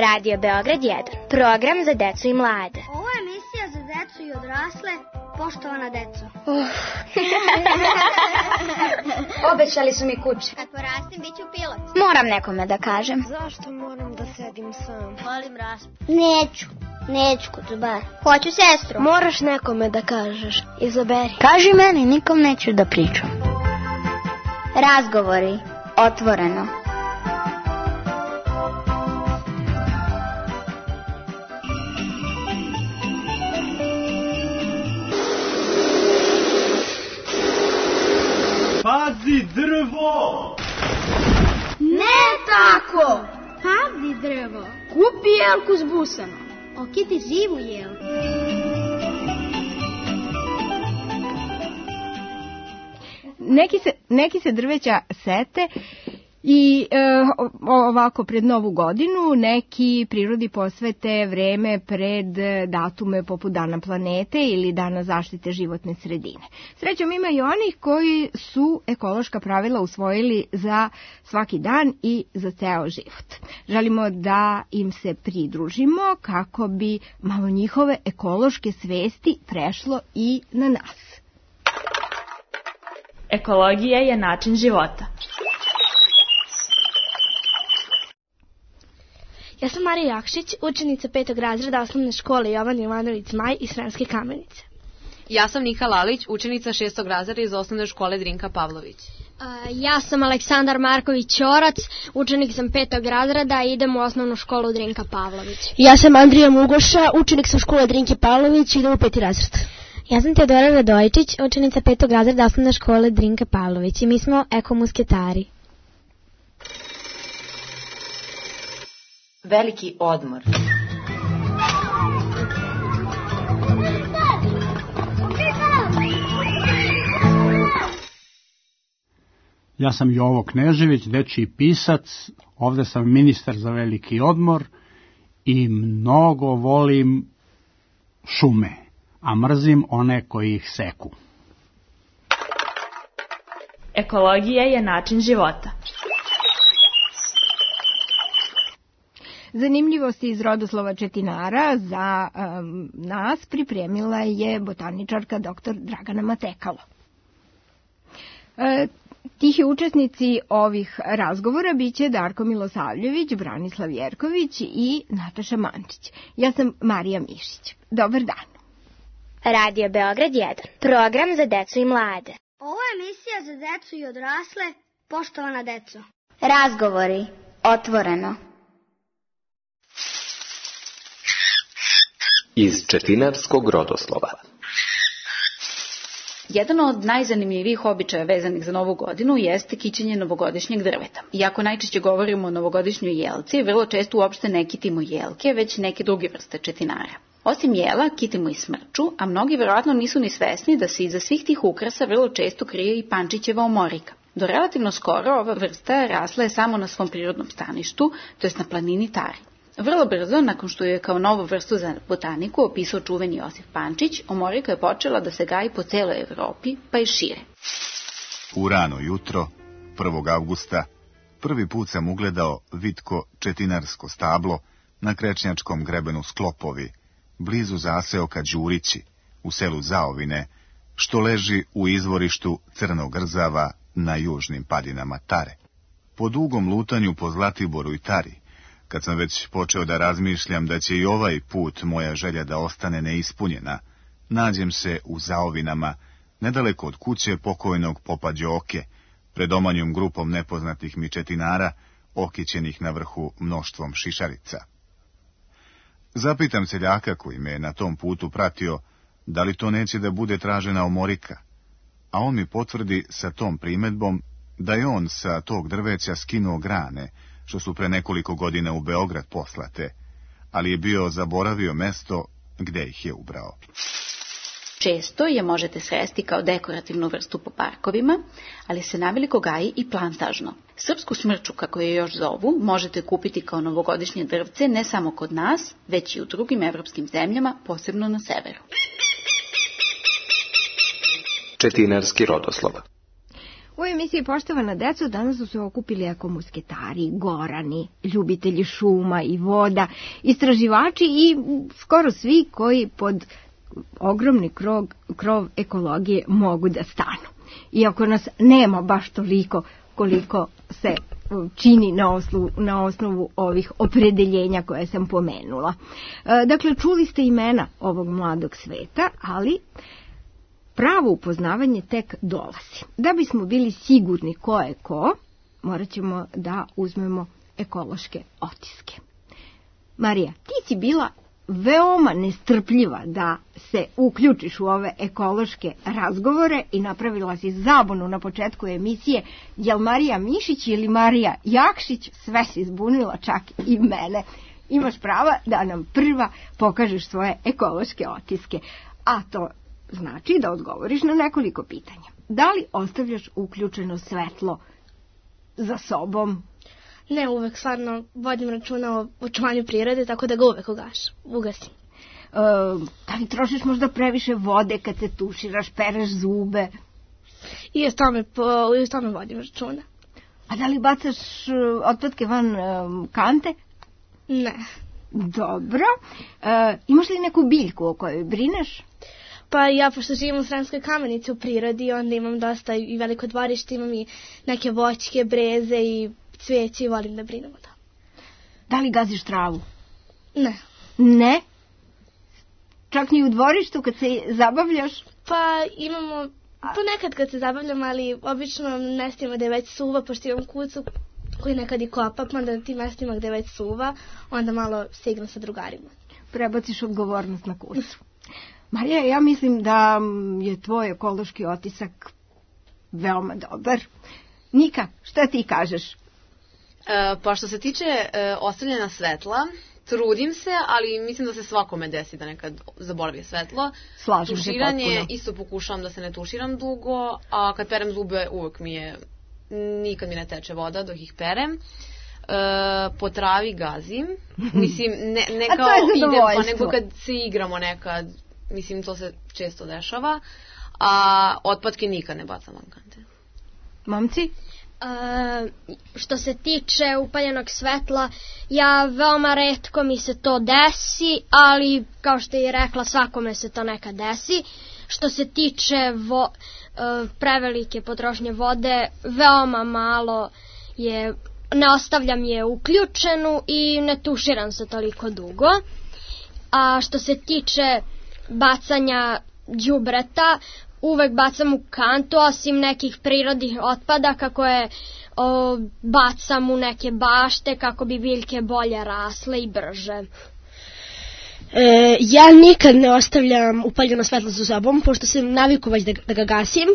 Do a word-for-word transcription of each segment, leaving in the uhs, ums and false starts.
Radio Beograd jedan, program za decu i mlade. Ovo je emisija za decu i odrasle, poštovana deco. Uh. Obećali su mi kuće. Kad porastim, bit ću pilot. Moram nekome da kažem. Zašto moram da sedim sam? Volim raspu. Neću, neću kod bar. Hoću sestru. Moraš nekome da kažeš. Izaberi. Kaži meni, nikom neću da pričam. Razgovori, otvoreno. Pazi drvo! Ne tako! Pazi drvo! Kupi jelku s busama. Okiti živu jelku. Neki se, neki se drveća sete i e, ovako pred Novu godinu, neki prirodi posvete vreme pred datume poput Dana planete ili Dana zaštite životne sredine. Srećom ima i onih koji su ekološka pravila usvojili za svaki dan i za ceo život. Želimo da im se pridružimo kako bi malo njihove ekološke svesti prešlo i na nas. Ekologija je način života. Ja sam Marija Jakšić, učenica petog razreda osnovne škole Jovan Jovanović Zmaj iz Sremske Kamenice. Ja sam Nika Lalić, učenica šestog razreda iz osnovne škole Drinka Pavlović. Uh, ja sam Aleksandar Marković Ćorac, učenik sam petog razreda i idem u osnovnu školu Drinka Pavlović. Ja sam Andrija Mugoša, učenik sam škole Drinke Pavlović i idem u peti razred. Ja sam Teodora Radojičić, učenica petog razreda osnovne škole Drinka Pavlović i mi smo ekomusketari. Veliki odmor. Ja sam Jovo Knežević, dečiji pisac, ovde sam ministar za veliki odmor i mnogo volim šume, a mrzim one koji ih seku. Ekologija je način života. Zanimljivosti iz rodoslova četinara za um, nas pripremila je botaničarka doktor Dragana Matekalo. E, tihi učesnici ovih razgovora biće Darko Milosavljević, Branislav Jerković i Nataša Mančić. Ja sam Marija Mišić. Dobar dan. Radio Beograd jedan, program za decu i mlade. Ovo je emisija za decu i odrasle, poštovana deco. Razgovori, otvoreno. Iz četinarskog rodoslova. Jedan od najzanimljivijih običaja vezanih za Novu godinu jeste kićenje novogodišnjeg drveta. Iako najčešće govorimo o novogodišnjoj jelci, vrlo često uopšte ne kitimo jelke, već neke druge vrste četinara. Osim jela, kitimo i smrču, a mnogi verovatno nisu ni svesni da se iza svih tih ukrasa vrlo često krije i pančićeva omorika. Do relativno skoro ova vrsta rasla je samo na svom prirodnom staništu, to jest na planini Tari. Vrlo brzo, nakon što je kao novu vrstu za botaniku opisao čuveni Josif Pančić, omorika je počela da se gaji po celoj Evropi, pa i šire. U rano jutro, prvog avgusta, prvi put sam ugledao vitko četinarsko stablo na Krečnjačkom grebenu Sklopovi, blizu zaseoka Đurići, u selu Zaovine, što leži u izvorištu Crnog Rzava na južnim padinama Tare. Po dugom lutanju po Zlatiboru i Tari, kad sam već počeo da razmišljam da će i ovaj put moja želja da ostane neispunjena, nađem se u Zaovinama, nedaleko od kuće pokojnog popa Đoke, pred omanjom grupom nepoznatih mi četinara, okićenih na vrhu mnoštvom šišarica. Zapitam seljaka koji me na tom putu pratio, da li to neće da bude tražena omorika, a on mi potvrdi sa tom primedbom da je on sa tog drveća skinuo grane, što su pre nekoliko godina u Beograd poslate, ali je bio zaboravio mesto gde ih je ubrao. Često je možete sresti kao dekorativnu vrstu po parkovima, ali se naveliko gaji i plantažno. Srpsku smrču, kako je još zovu, možete kupiti kao novogodišnje drvce ne samo kod nas, već i u drugim evropskim zemljama, posebno na severu. Četinarski rodoslov. U emisiji Poštovana deco danas su se okupili ekomusketari, gorani, ljubitelji šuma i voda, istraživači i skoro svi koji pod ogromni krov, krov ekologije mogu da stanu. Iako nas nema baš toliko koliko se čini na osnovu, na osnovu ovih opredeljenja koje sam pomenula. Dakle, čuli ste imena ovog mladog sveta, ali pravo upoznavanje tek dolazi. Da bismo bili sigurni ko je ko, morat ćemo da uzmemo ekološke otiske. Marija, ti si bila veoma nestrpljiva da se uključiš u ove ekološke razgovore i napravila si zabunu na početku emisije, jel Marija Mišić ili Marija Jakšić, sve si zbunila, čak i mene. Imaš prava da nam prva pokažeš svoje ekološke otiske, a to znači da odgovoriš na nekoliko pitanja. Da li ostavljaš uključeno svetlo za sobom? Ne, uvek stvarno vodim računa o očuvanju prirode, tako da ga uvek ugaš, ugasim. E, da li trošiš možda previše vode kad se tuširaš, pereš zube? I o tome, i o tome vodim računa. A da li bacaš otpadke van um, kante? Ne. Dobro. E, imaš li neku biljku o kojoj brineš? Pa ja, pošto živim u Sremskoj Kamenici u prirodi, onda imam dosta i veliko dvorište, imam i neke voćke, breze i cvijeće i volim da brinem o tome. Da li gaziš travu? Ne. Ne? Čak ni u dvorištu kad se zabavljaš? Pa imamo, ponekad kad se zabavljam, ali obično na mestima gde već suva, pošto imam kucu koji nekad i kopa, pa onda na tim mestima gde već suva, onda malo se igram sa drugarima. Prebaciš odgovornost na kucu. Marija, ja mislim da je tvoj ekološki otisak veoma dobar. Nika, šta ti kažeš? E, pa što se tiče e, ostavljena svetla, trudim se, ali mislim da se svakome desi da nekad zaboravi svetlo. Slažem se potpuno. Tuširanje, isto pokušavam da se ne tuširam dugo, a kad perem zube uvek mi je, nikad mi ne teče voda dok ih perem. E, po travi gazim, mislim, ne, ne kao idem, pa nego kad se igramo nekad, mislim to se često dešava, a otpadke nikad ne bacam van kante. Momci? E, što se tiče upaljenog svetla, ja veoma retko mi se to desi, ali kao što je rekla, svakome se to nekad desi. Što se tiče vo, e, prevelike potrošnje vode, veoma malo je, ne ostavljam je uključenu i ne tuširam se toliko dugo. A što se tiče bacanja đubreta, uvek bacam u kantu, osim nekih prirodnih otpadaka koje o, bacam u neke bašte kako bi biljke bolje rasle i brže. E, ja nikad ne ostavljam upaljeno svetlo za sobom, pošto sam naviku već da, da ga gasim.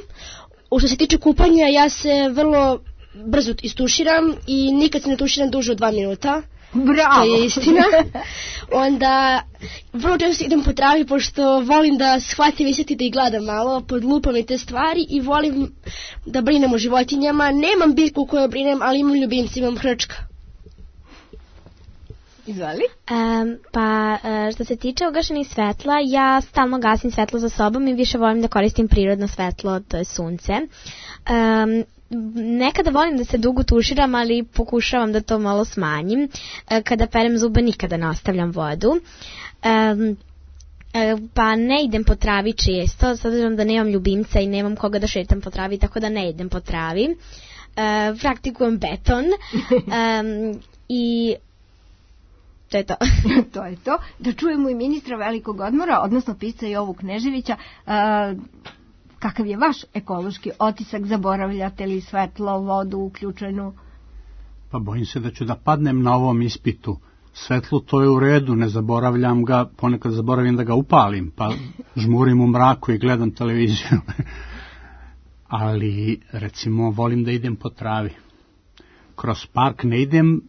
U što se tiče kupanja, ja se vrlo brzo istuširam i nikad se ne tuširam duže od dva minuta. Bravo! To je istina. Onda vrlo često idem po travi, pošto volim da shvatim i sjetim da ih gledam malo, podlupam i te stvari i volim da brinem o životinjama. Nemam biljku u kojoj brinem, ali imam ljubimci, imam hrčka. Izvali? Um, pa što se tiče ugašenih svetla, ja stalno gasim svetlo za sobom i više volim da koristim prirodno svetlo, to je sunce. Um, Nekada volim da se dugo tuširam, ali pokušavam da to malo smanjim. Kada perem zube nikada ne ostavljam vodu. Um, pa ne idem po travi često, s obzirom da nemam ljubimca i nemam koga da šetam po travi, tako da ne idem po travi. Uh, praktikujem beton um, i to je to. To je to. Da čujemo i ministra velikog odmora, odnosno pisca Jovu Kneževića. Uh, Kakav je vaš ekološki otisak? Zaboravljate li svetlo, vodu uključenu? Pa bojim se da ću da padnem na ovom ispitu. Svetlo to je u redu, ne zaboravljam ga, ponekad zaboravim da ga upalim, pa žmurim u mraku i gledam televiziju. Ali, recimo, volim da idem po travi. Kroz park ne idem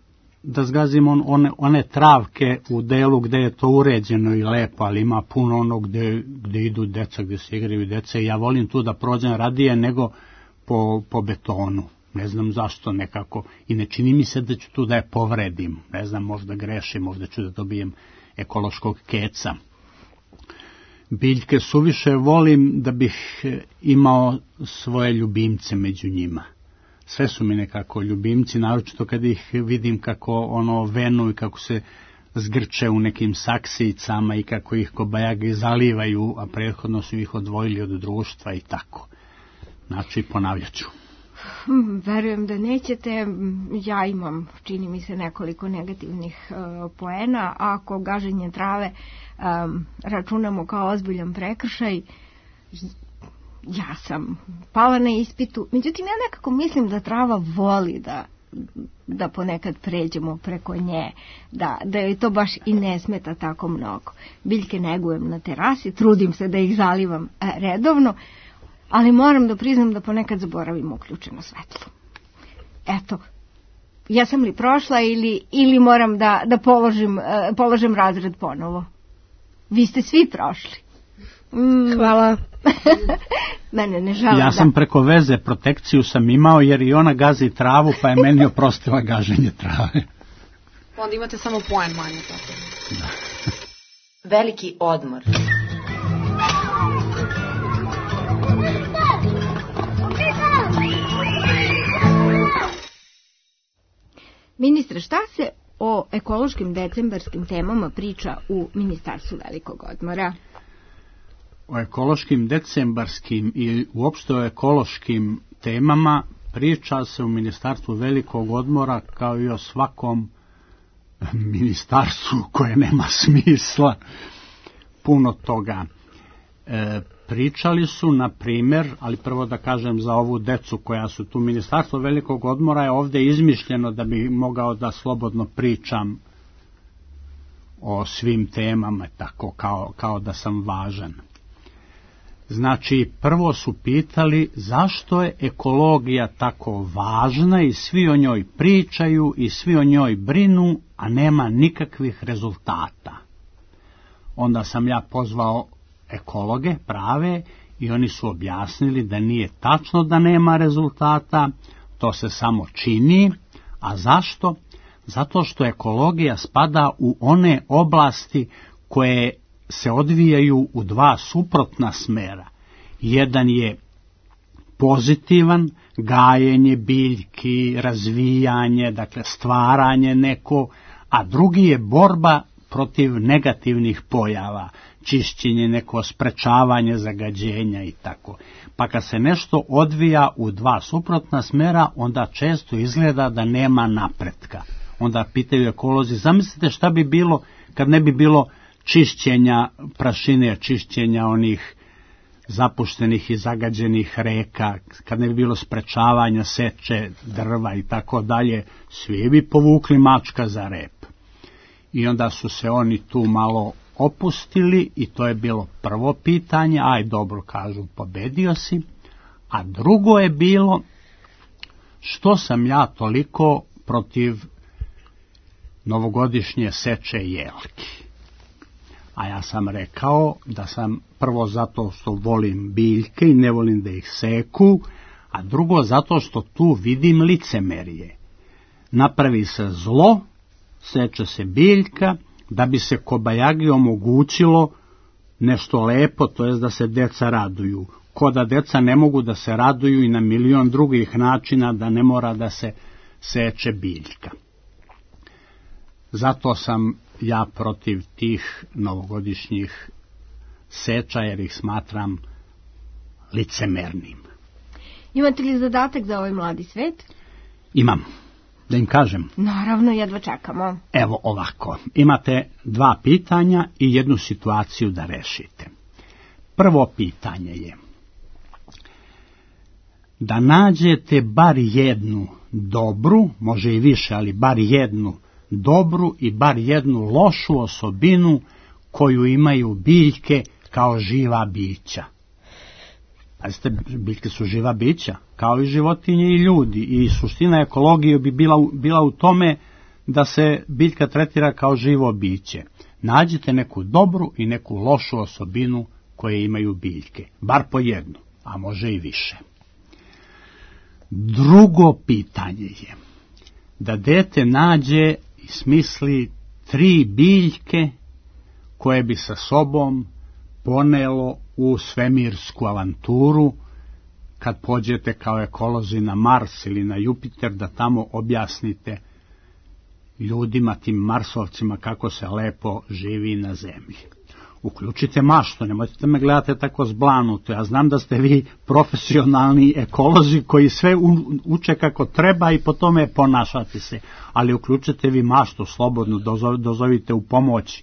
da zgazim on, one, one travke u delu gde je to uređeno i lepo, ali ima puno ono gde, gde idu deca, gde se igraju deca i ja volim tu da prođem radije nego po, po betonu. Ne znam zašto nekako i ne čini mi se da ću tu da je povredim. Ne znam, možda grešim, možda ću da dobijem ekološkog keca. biljke suviše volim da bih imao svoje ljubimce među njima. Sve su mi nekako ljubimci, naročito kad ih vidim kako ono venu i kako se zgrče u nekim saksijicama i kako ih kobajagi zalivaju, a prethodno su ih odvojili od društva i tako. Znači, ponavljat ću. Verujem da nećete. Ja imam, čini mi se, nekoliko negativnih uh, poena. Ako gaženje trave um, računamo kao ozbiljan prekršaj, ja sam pala na ispitu. Međutim, ja nekako mislim da trava voli da, da ponekad pređemo preko nje, da, da joj to baš i ne smeta tako mnogo. Biljke negujem na terasi, trudim se da ih zalivam uh, redovno, ali moram da priznam da ponekad zaboravim uključeno svetlo. Eto, ja sam li prošla ili, ili moram da, da položim, uh, položim razred ponovo? Vi ste svi prošli. Mm. Hvala. Mene ne žalim. Ja sam preko veze protekciju sam imao jer i ona gazi travu pa je meni oprostila gaženje trave. Onda imate samo poen manje. Tako. Da. Veliki odmor. Ministre, šta se o ekološkim decembarskim temama priča u Ministarstvu velikog odmora? O ekološkim decembarskim i uopšte o ekološkim temama priča se u Ministarstvu velikog odmora kao i o svakom ministarstvu koje nema smisla. Puno toga. E, pričali su, na primjer, ali prvo da kažem za ovu decu koja su tu, Ministarstvo velikog odmora je ovdje izmišljeno da bi mogao da slobodno pričam o svim temama, tako kao, kao da sam važan. Znači, prvo su pitali zašto je ekologija tako važna i svi o njoj pričaju i svi o njoj brinu, a nema nikakvih rezultata. Onda sam ja pozvao ekologe prave i oni su objasnili da nije tačno da nema rezultata, to se samo čini. A zašto? Zato što ekologija spada u one oblasti koje se odvijaju u dva suprotna smera. Jedan je pozitivan, gajenje biljki, razvijanje, dakle stvaranje neko, a drugi je borba protiv negativnih pojava, čišćenje, neko sprečavanje zagađenja i tako. Pa kad se nešto odvija u dva suprotna smera, onda često izgleda da nema napretka. Onda pitaju ekolozi, zamislite šta bi bilo kad ne bi bilo čišćenja prašine, čišćenja onih zapuštenih i zagađenih reka, kad ne bi bilo sprečavanja seče drva i tako dalje, svi bi povukli mačka za rep. I onda su se oni tu malo opustili i to je bilo prvo pitanje, aj dobro, kažu, pobedio si. A drugo je bilo, što sam ja toliko protiv novogodišnje seče jelki. A ja sam rekao da sam prvo zato što volim biljke i ne volim da ih seku, a drugo zato što tu vidim licemerje. Napravi se zlo, seče se biljka, da bi se kobajagi omogućilo nešto lepo, to jest da se deca raduju. Ko da deca ne mogu da se raduju i na milion drugih načina, da ne mora da se seče biljka. Zato sam ja protiv tih novogodišnjih seča, jer ih smatram licemernim. Imate li zadatak za ovaj mladi svet? Imam. Da im kažem? Naravno, jedva čekamo. Evo ovako, imate dva pitanja i jednu situaciju da rešite. Prvo pitanje je da nađete bar jednu dobru, može i više, ali bar jednu dobru i bar jednu lošu osobinu koju imaju biljke kao živa bića. Pazite, biljke su živa bića, kao i životinje i ljudi, i suština ekologije bi bila, bila u tome da se biljka tretira kao živo biće. Nađite neku dobru i neku lošu osobinu koje imaju biljke, bar po jednu, a može i više. Drugo pitanje je da dete nađe i smisli tri biljke koje bi sa sobom ponelo u svemirsku avanturu, kad pođete kao ekolozi na Mars ili na Jupiter, da tamo objasnite ljudima, tim Marsovcima, kako se lepo živi na zemlji. Uključite maštu, nemojte da me gledate tako zblanuto. Ja znam da ste vi profesionalni ekolozi koji sve uče kako treba i po tome ponašate se, ali uključite vi maštu slobodno, dozovite u pomoć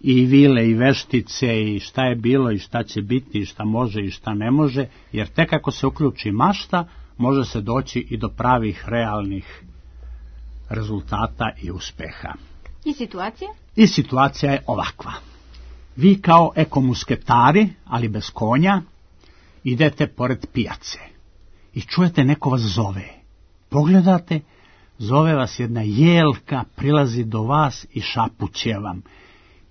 i vile i veštice i šta je bilo i šta će biti i šta može i šta ne može, jer tek ako se uključi mašta, može se doći i do pravih, realnih rezultata i uspeha. I situacija? I situacija je ovakva. Vi kao ekomusketari, ali bez konja, idete pored pijace i čujete neko vas zove. Pogledate, zove vas jedna jelka, prilazi do vas i šapuće vam.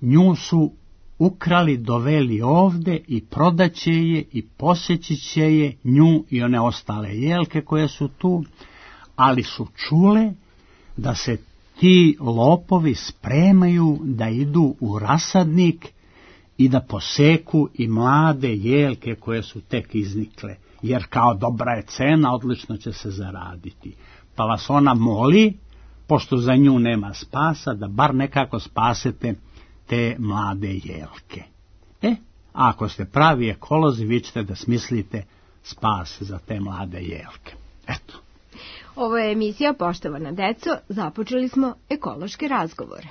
Nju su ukrali, doveli ovde i prodaće je i posjeći će je, nju i one ostale jelke koje su tu, ali su čule da se ti lopovi spremaju da idu u rasadnik i da poseku i mlade jelke koje su tek iznikle, jer kao dobra je cena, odlično će se zaraditi. Pa vas ona moli, pošto za nju nema spasa, da bar nekako spasete te mlade jelke. E, a ako ste pravi ekolozi, vi ćete da smislite spas za te mlade jelke. Eto. Ovo je emisija Poštovana deco, započeli smo ekološke razgovore.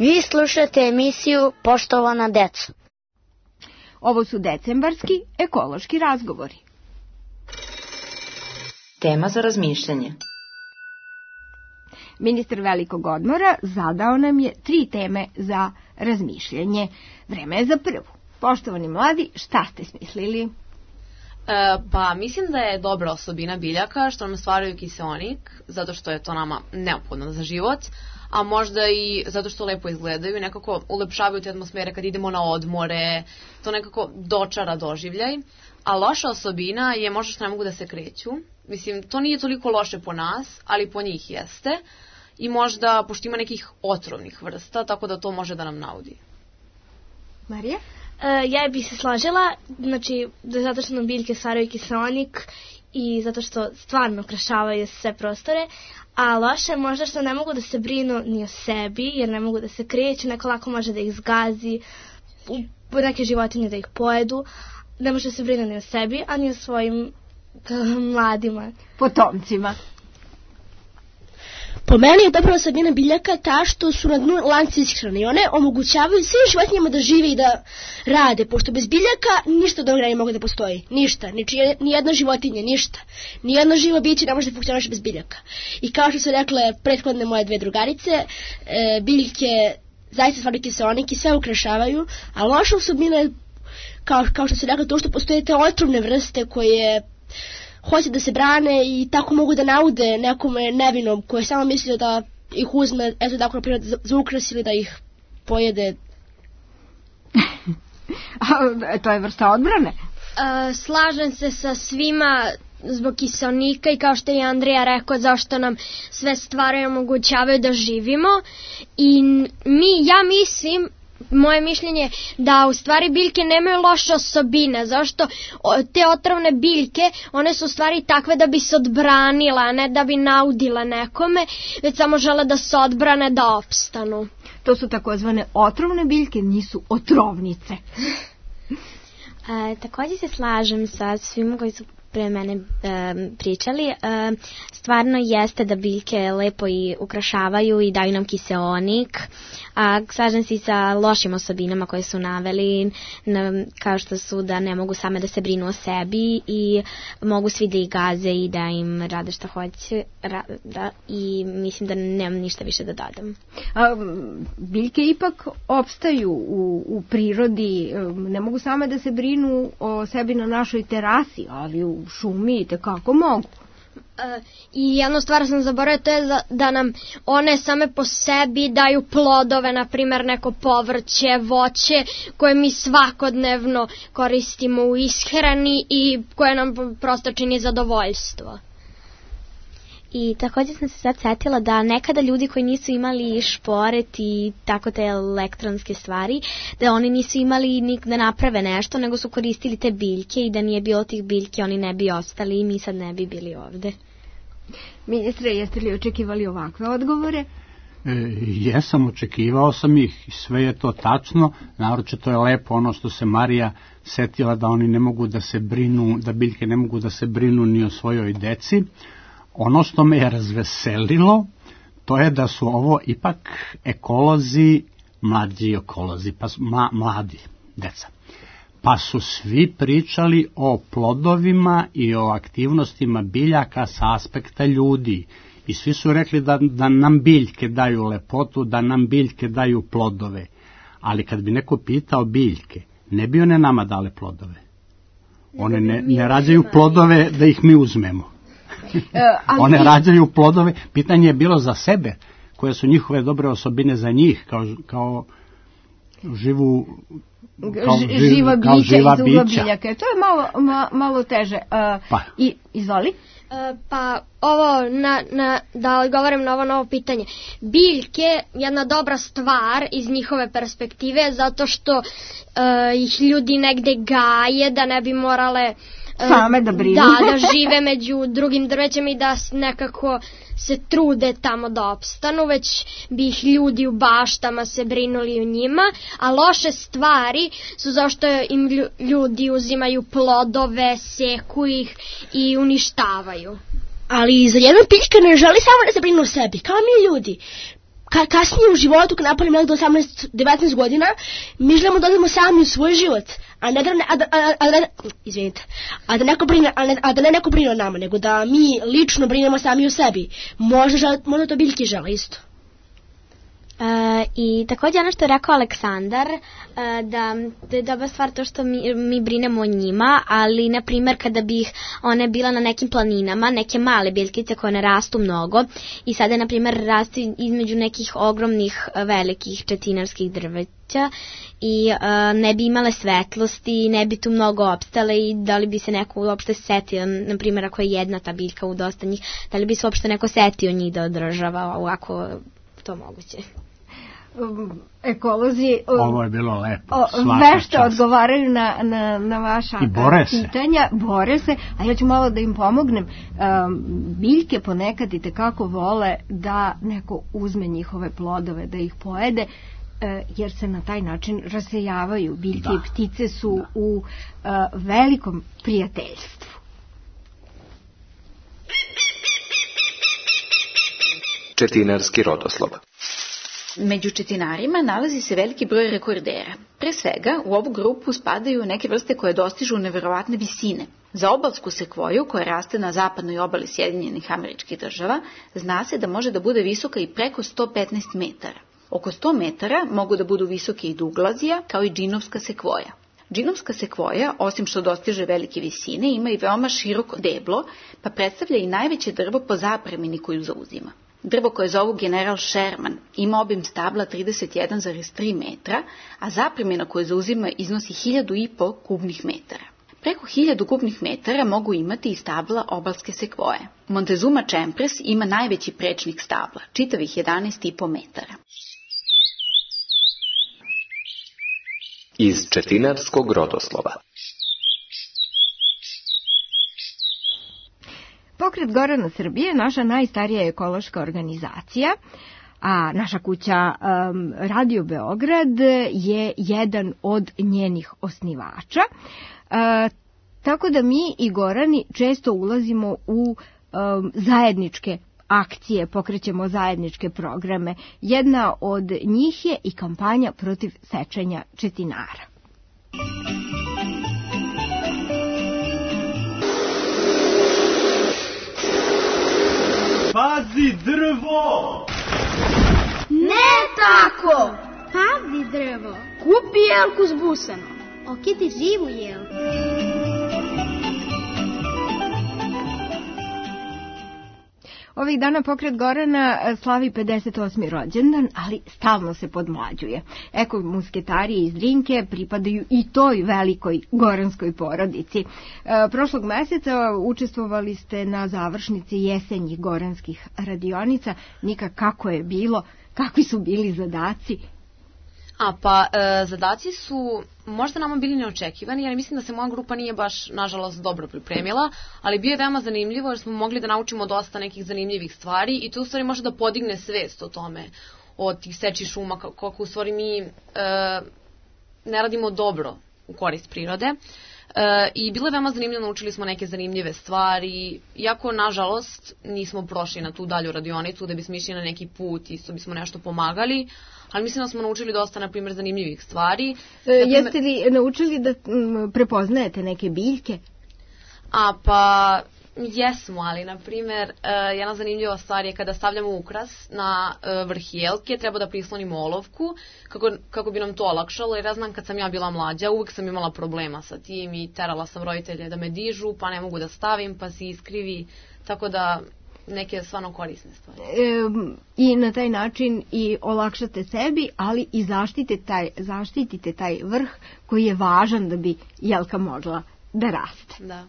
Vi slušate emisiju Poštovana deco. Ovo su decembarski ekološki razgovori. Tema za razmišljanje. Ministar velikog odmora zadao nam je tri teme za razmišljanje. Vreme je za prvu. Poštovani mladi, šta ste smislili? E, pa mislim da je dobra osobina biljaka što nam stvaraju kiseonik, zato što je to nama neophodno za život, a možda i zato što lepo izgledaju i nekako ulepšavaju te atmosfere kad idemo na odmore, to nekako dočara doživljaj. A loša osobina je možda što ne mogu da se kreću. Mislim, to nije toliko loše po nas, ali po njih jeste. I možda, pošto ima nekih otrovnih vrsta, tako da to može da nam naudi. Marija? E, ja bih se složila, znači, zato što nam biljke stvaraju kiseonik i zato što stvarno ukrašavaju sve prostore, a loše je možda što ne mogu da se brinu ni o sebi, jer ne mogu da se kreću, neko lako može da ih zgazi, neke životinje da ih pojedu, ne može da se brinu ni o sebi, a ni o svojim mladima. Potomcima. Po meni je dobra osobina biljaka ta što su na dnu lanci ishrane i one omogućavaju svim životinjama da žive i da rade, pošto bez biljaka ništa dobro ne mogu da postoji. Ništa, ni jedna životinja, ništa. Nijedno živo biće ne može da funkcioniše bez biljaka. I kao što su rekle prethodne moje dve drugarice, e, biljke zaista stvaraju kiseonik i sve ukrašavaju, a loša osobina je, kao, kao što su rekle, to što postoje te otrovne vrste koje hoće da se brane i tako mogu da naude nekome nevinom koji je samo mislio da ih uzme, eto tako na primjer za, za ukras ili da ih pojede. A, to je vrsta odbrane? Uh, slažem se sa svima zbog kiseonika i kao što je Andrija rekao zašto nam sve stvari omogućavaju da živimo i mi, ja mislim moje mišljenje da u stvari biljke nemaju loše osobine, zašto te otrovne biljke, one su u stvari takve da bi se odbranila, a ne da bi naudile nekome, već samo žele da se odbrane, da opstanu. To su takozvane otrovne biljke, nisu otrovnice. E, također se slažem sa svima koji su pre mene e, pričali. E, stvarno jeste da biljke lepo i ukrašavaju i daju nam kiseonik, a slažem se i sa lošim osobinama koje su naveli, na, kao što su da ne mogu same da se brinu o sebi i mogu svi da ih gaze i da im rade što hoće ra, da, i mislim da nemam ništa više da dodam. A, biljke ipak opstaju u, u prirodi, ne mogu same da se brinu o sebi na našoj terasi, ali u šumi i tekako mogu. Uh, I jednu stvar sam zaboravila, to je da, da nam one same po sebi daju plodove, na primjer neko povrće, voće koje mi svakodnevno koristimo u ishrani i koje nam prosto čini zadovoljstvo. I također sam se sad setila da nekada ljudi koji nisu imali šporet i tako te elektronske stvari, da oni nisu imali ni da naprave nešto, nego su koristili te biljke i da nije bilo tih biljke, oni ne bi ostali i mi sad ne bi bili ovde. Ministre, jeste li očekivali ovakve odgovore? E, jesam, očekivao sam ih, sve je to tačno, naročito je lepo ono što se Marija setila da oni ne mogu da se brinu, da biljke ne mogu da se brinu ni o svojoj deci. Ono što me je razveselilo, to je da su ovo ipak ekolozi, mlađi ekolozi, pa ma, mladi deca. Pa su svi pričali o plodovima i o aktivnostima biljaka sa aspekta ljudi. I svi su rekli da, da nam biljke daju lepotu, da nam biljke daju plodove. Ali kad bi neko pitao biljke, ne bi one nama dale plodove. One ne, ne rađaju plodove da ih mi uzmemo. One rađaju plodove, pitanje je bilo za sebe, koje su njihove dobre osobine za njih, kao, kao živu kao, Ž, živa bića, kao živa iz uga biljaka. To je malo, ma, malo teže. Uh, pa. I, izvoli. Uh, pa ovo, na, na, da odgovorim na ovo novo pitanje. Biljke, jedna dobra stvar iz njihove perspektive, zato što uh, ih ljudi negde gaje, da ne bi morale same da brinu. Da, da žive među drugim drvećima i da nekako se trude tamo da opstanu, već bi ih ljudi u baštama se brinuli o njima, a loše stvari su zašto im ljudi uzimaju plodove, seku ih i uništavaju. Ali za jednog biljka ne želi samo da se brinu o sebi, kao mi ljudi. Ka, kasnije u životu, kad napravimo nekdo osamnaest devetnaest godina, mi želimo da odemo sami u svoj život, a ne da, a da, a, a, a, izvinite, a da neko brine, a, ne, a da ne neko brine o nama, nego da mi lično brinemo sami o sebi. Možda, žele, možda to biljke žele isto. E, I također ono što je rekao Aleksandar, e, da, da je dobra stvar to što mi, mi brinemo o njima, ali na primjer kada bih one bila na nekim planinama, neke male biljkice koje ne rastu mnogo i sada na primjer rastu između nekih ogromnih velikih četinarskih drveća i e, ne bi imale svetlosti, ne bi tu mnogo opstale i da li bi se neko uopšte setio, na primjer ako je jedna ta biljka u dosta njih, da li bi se uopšte neko setio njih da održava ovako to moguće. Ekolozi ovo je bilo lepo, vešto odgovaraju na, na, na vaša pitanja, bore se, a ja ću malo da im pomognem. Um, biljke ponekad i tekako vole da neko uzme njihove plodove, da ih pojede, uh, jer se na taj način rasejavaju. Biljke da. I ptice su da. U uh, velikom prijateljstvu. Četinarski rodoslov. Među četinarima nalazi se veliki broj rekordera. Pre svega, u ovu grupu spadaju neke vrste koje dostižu neverovatne visine. Za obalsku sekvoju, koja raste na zapadnoj obali Sjedinjenih Američkih Država, zna se da može da bude visoka i preko sto petnaest metara. Oko sto metara mogu da budu visoke i Douglazija, kao i džinovska sekvoja. Džinovska sekvoja, osim što dostiže velike visine, ima i veoma široko deblo, pa predstavlja i najveće drvo po zapremini koju zauzima. Drvo koje zovu General Sherman ima obim stabla trideset jedan zarez tri metra, a zapremina koju zauzima iznosi hiljadu i po kubnih metara. Preko hiljadu kubnih metara mogu imati i stabla obalske sekvoje. Montezuma Čempres ima najveći prečnik stabla, čitavih jedanaest i po metara. Iz četinarskog rodoslova. Pokret Gorana Srbije je naša najstarija ekološka organizacija, a naša kuća um, Radio Beograd je jedan od njenih osnivača. Uh, tako da mi i Gorani često ulazimo u um, zajedničke akcije, pokrećemo zajedničke programe. Jedna od njih je i kampanja protiv sečenja četinara. Pazi drvo! Ne tako! Pazi drvo! Kupi jelku s busanom. Okiti živu jelku. Ovih dana pokret Gorana slavi pedeset osmi rođendan, ali stalno se podmlađuje. Eko musketari iz Drinke pripadaju i toj velikoj goranskoj porodici. E, prošlog meseca učestvovali ste na završnici jesenjih goranskih radionica. Nika, kako je bilo? Kakvi su bili zadaci? A, pa, e, zadaci su možda nama bili neočekivani, jer mislim da se moja grupa nije baš, nažalost, dobro pripremila, ali bio je veoma zanimljivo jer smo mogli da naučimo dosta nekih zanimljivih stvari i to u stvari može da podigne svest o tome, o tih seči šuma, kako u stvari mi e, ne radimo dobro u korist prirode. E, I bilo je veoma zanimljivo, naučili smo neke zanimljive stvari, iako, nažalost, nismo prošli na tu dalju radionicu da bismo išli na neki put, isto bismo nešto pomagali, ali mislim da smo naučili dosta, na primjer, zanimljivih stvari. E, Naprimer, jeste li naučili da m, prepoznajete neke biljke? A, pa, jesmo, ali, na primjer, uh, jedna zanimljiva stvar je kada stavljamo ukras na uh, vrh jelke, treba da prislonimo olovku, kako, kako bi nam to olakšalo, jer ja znam kad sam ja bila mlađa, uvek sam imala problema sa tim i terala sam roditelje da me dižu, pa ne mogu da stavim, pa se iskrivi, tako da neke stvarno korisne stvari. E, I na taj način i olakšate sebi, ali i zaštitite taj, zaštitite taj vrh koji je važan da bi jelka mogla da raste. Da.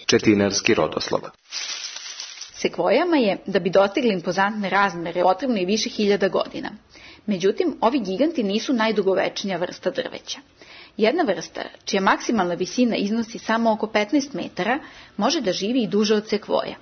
Četinarski rodoslov. Sekvojama je, da bi dostigli impozantne razmere, potrebno i više hiljada godina. Međutim, ovi giganti nisu najdugovečnija vrsta drveća. Jedna vrsta, čija maksimalna visina iznosi samo oko petnaest metara, može da živi i duže od sekvoja.